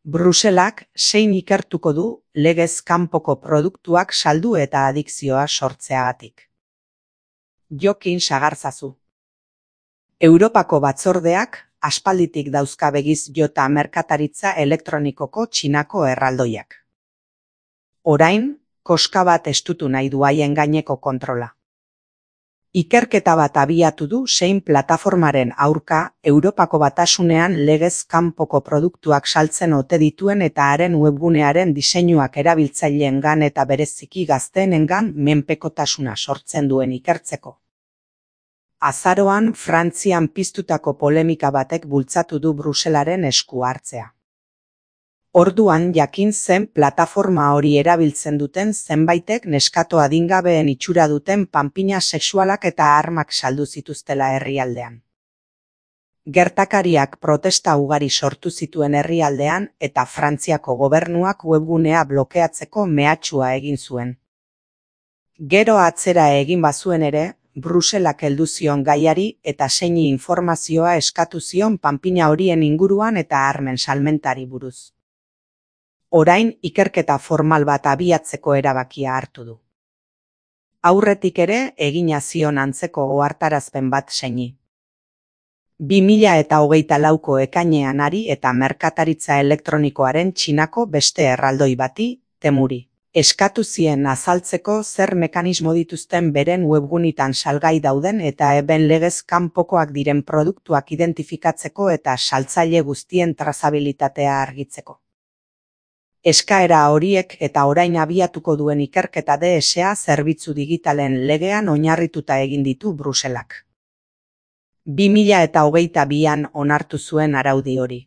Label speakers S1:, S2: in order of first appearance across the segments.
S1: Bruselak zein ikertuko du legez kanpoko produktuak saldu eta adikzioa sortzeagatik. Jokin sagarzazu. Europako batzordeak aspalditik dauzka begiz jota merkataritza elektronikoko Txinako erraldoiak. Orain, koska bat estutu nahi du haien gaineko kontrola. Ikerketa bat abiatu du zein plataformaren aurka Europako Batasunean legez kanpoko produktuak saltzen ote dituen eta haren webgunearen diseinuak erabiltzaileengan eta bereziki gazteenengan menpekotasuna sortzen duen ikertzeko. Azaroan Frantzian piztutako polemika batek bultzatu du Bruselaren esku hartzea. Orduan jakin zen plataforma hori erabiltzen duten zenbaitek neskato adingabeen itxura duten panpina sexualak eta armak saldu zituztela herrialdean. Gertakariak protesta ugari sortu zituen herrialdean eta Frantziako gobernuak webgunea blokeatzeko mehatxua egin zuen. Gero atzera egin bazuen ere, Bruselak heldu zion gaiari eta zeini informazioa eskatu zion panpina horien inguruan eta armen salmentari buruz. Orain ikerketa formal bat abiatzeko erabakia hartu du. Aurretik ere egina zion antzeko ohartarazpen bat zeini. 2024ko ekainean ari eta merkataritza elektronikoaren Txinako beste erraldoi bati, Temuri, eskatu zien azaltzeko zer mekanismo dituzten beren webgunitan salgai dauden eta eben legez kanpokoak diren produktuak identifikatzeko eta saltzaile guztien trazabilitatea argitzeko. Eskaera horiek eta orain abiatuko duen ikerketa DSA zerbitzu digitalen legean oinarrituta egin ditu Bruselak. 2022an onartu zuen araudi hori.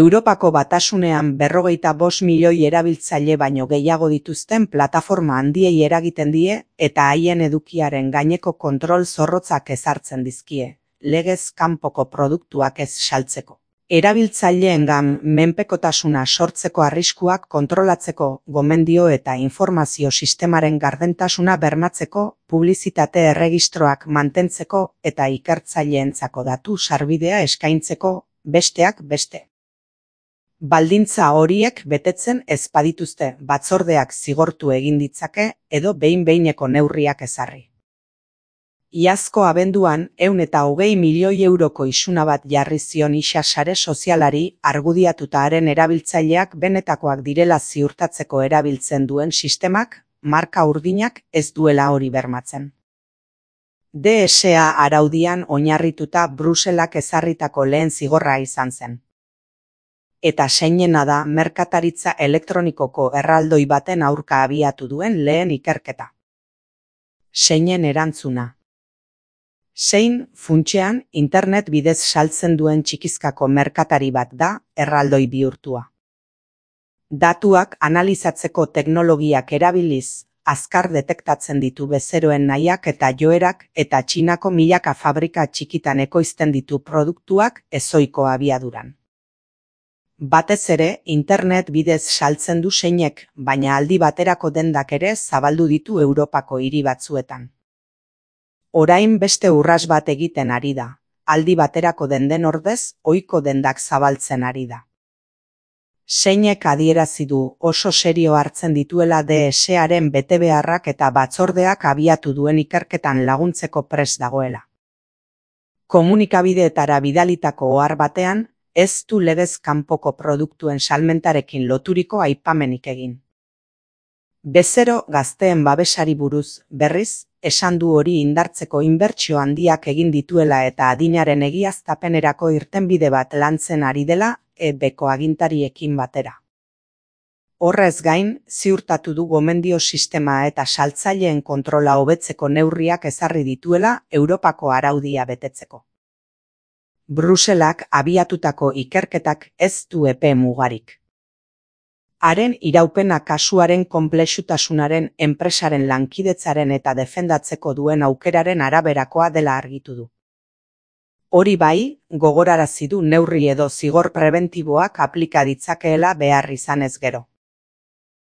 S1: Europako Batasunean 45 milioi erabiltzaile baino gehiago dituzten plataforma handiei eragiten die eta haien edukiaren gaineko kontrol zorrotzak ezartzen dizkie, legez kanpoko produktuak ez saltzeko. Erabiltzaileengan menpekotasuna sortzeko arriskuak kontrolatzeko, gomendio eta informazio sistemaren gardentasuna bermatzeko, publizitate erregistroak mantentzeko eta ikertzaileentzako datu sarbidea eskaintzeko, besteak beste. Baldintza horiek betetzen ez badituzte batzordeak zigortu egin ditzake edo behin-behineko neurriak ezarri. Iazko abenduan 120 milioi euroko isuna bat jarri zion isa sare sozialari argudiatuta haren erabiltzaileak benetakoak direla ziurtatzeko erabiltzen duen sistemak, marka urdinak ez duela hori bermatzen. DSA araudian oinarrituta Bruselak ezarritako lehen zigorra izan zen. Eta zeinena da merkataritza elektronikoko erraldoi baten aurka abiatu duen lehen ikerketa. Zeinen erantzuna. Zein, funtsean, internet bidez saltzen duen txikizkako merkatari bat da, erraldoi bihurtua. Datuak analizatzeko teknologiak erabiliz, azkar detektatzen ditu bezeroen nahiak eta joerak eta Txinako milaka fabrika txikitan ekoizten ditu produktuak ezohiko abiaduran. Batez ere, internet bidez saltzen du zeinek, baina aldi baterako dendak ere zabaldu ditu Europako hiri batzuetan. Orain beste urras bat egiten ari da, aldi baterako denden ordez, ohiko dendak zabaltzen ari da. Zeinek adierazi du oso serio hartzen dituela DSAren betebeharrak eta batzordeak abiatu duen ikerketan laguntzeko prest dagoela. Komunikabideetara bidalitako ohar batean, ez du legez kanpoko produktuen salmentarekin loturiko aipamenik egin. Bezero gazteen babesari buruz, berriz, esan du hori indartzeko inbertsio handiak egin dituela eta adinaren egiaztapenerako irtenbide bat lantzen ari dela EBko agintariekin batera. Horrez gain, ziurtatu du gomendio sistema eta saltzaileen kontrola hobetzeko neurriak ezarri dituela Europako araudia betetzeko. Bruselak abiatutako ikerketak ez du epe mugarik. Haren iraupena kasuaren konplexutasunaren, enpresaren lankidetzaren eta defendatzeko duen aukeraren araberakoa dela argitu du. Hori bai, gogorarazi du neurri edo zigor prebentiboak aplika ditzakeela behar izanez gero.